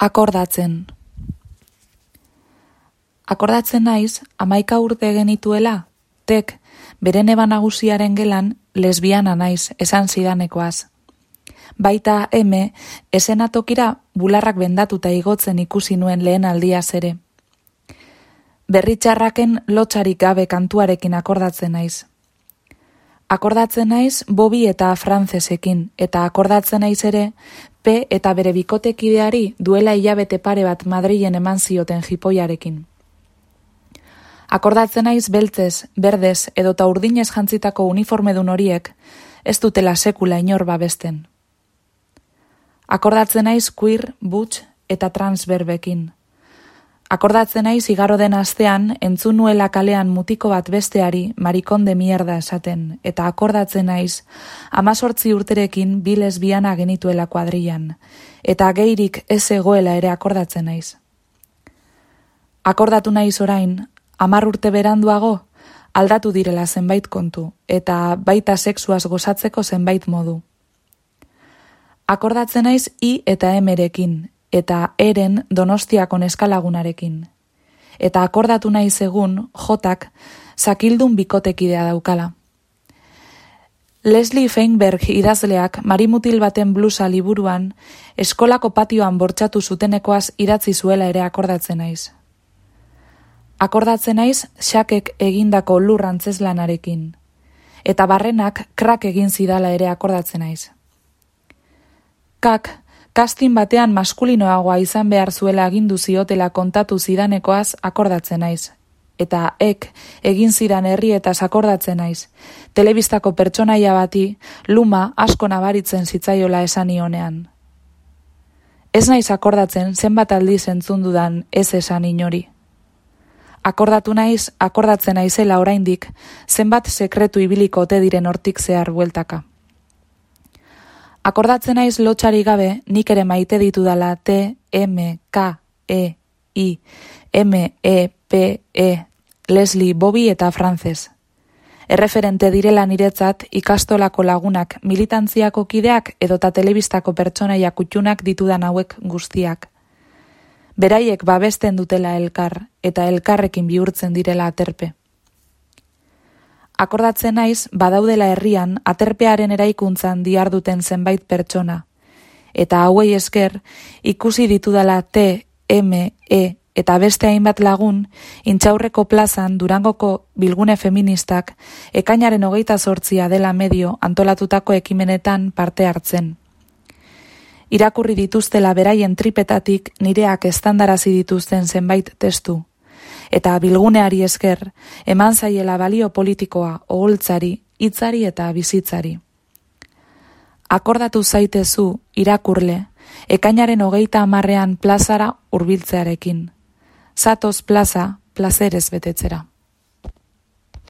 Akordatzen. Akordatzen naiz, 11 urte genituela, tek, bere neba nagusiaren gelan, lesbiana naiz, esan zidanekoaz. Baita esenatokira bularrak bendatuta igotzen ikusi nuen lehen aldiaz ere. Berritxarraken lotxarik gabe kantuarekin akordatzen naiz. Akordatzen naiz Bobi eta Francesekin, eta akordatzen naiz ere P eta bere bikotekideari duela hilabete pare bat Madrilen eman zioten jipoiarekin. Akordatzen naiz beltzez, berdez edota urdinez jantzitako uniformedun horiek ez dutela sekula inor babesten. Akordatzen naiz queer, butch eta trans berbekin. Akordatzen naiz igaro den astean entzun nuela kalean mutiko bat besteari marikon de mierda esaten, eta akordatzen naiz 18 urterekin bi lesbiana genituela kuadrillan, eta geirik ez egoela ere akordatzen naiz. Akordatu naiz orain, 10 urte beranduago, aldatu direla zenbait kontu, eta baita sexuaz gozatzeko zenbait modu. Akordatzen naiz I eta M-rekin, eta eren Donostiako neskalagunarekin. Eta akordatu naiz egun Jotak zakildun bikotekidea daukala. Leslie Feinberg idazleak marimutil baten blusa liburuan eskolako patioan bortxatu zutenekoaz idatzi zuela ere akordatzen naiz. Akordatzen naiz Xakek egindako lur antzeslanarekin. Eta barrenak krak egin zidala ere akordatzen naiz. Kak, kastin batean maskulinoagoa izan behar zuela agindu ziotela kontatu zidanekoaz akordatzen naiz. Eta egin zidan herrietaz akordatzen naiz. Telebistako pertsonaia bati luma asko nabaritzen zitzaiola esan ionean. Ez naiz akordatzen zenbat aldiz entzun dudan ez esan inori. Akordatu naiz, akordatzen naizela oraindik, zenbat sekretu ibiliko ote diren hortik zehar bueltaka. Akordatzen naiz lotxari gabe, nik ere maite ditudala T, M, K, E, I, M, E, P, E, Leslie, Bobi eta Frances. Erreferente direla niretzat ikastolako lagunak, militantziako kideak edota telebistako pertsonaia kutxunak ditudan hauek guztiak. Beraiek babesten dutela elkar, eta elkarrekin bihurtzen direla aterpe. Akordatzen naiz, badaudela herrian, aterpearen eraikuntzan diharduten zenbait pertsona. Eta hauei esker, ikusi ditudala T, M, E eta beste hainbat lagun, Intxaurreko plazan Durangoko bilgune feministak, ekainaren 28 dela medio antolatutako ekimenetan parte hartzen. Irakurri dituztela beraien tripetatik nireak estandarazi dituzten zenbait testu. Eta bilguneari esker, eman zaiela balio politikoa, oholtzari, hitzari eta bizitzari. Akordatu zaitezu, irakurle, ekainaren 30 plazara hurbiltzearekin. Zatoz plaza, plazerez betetzera.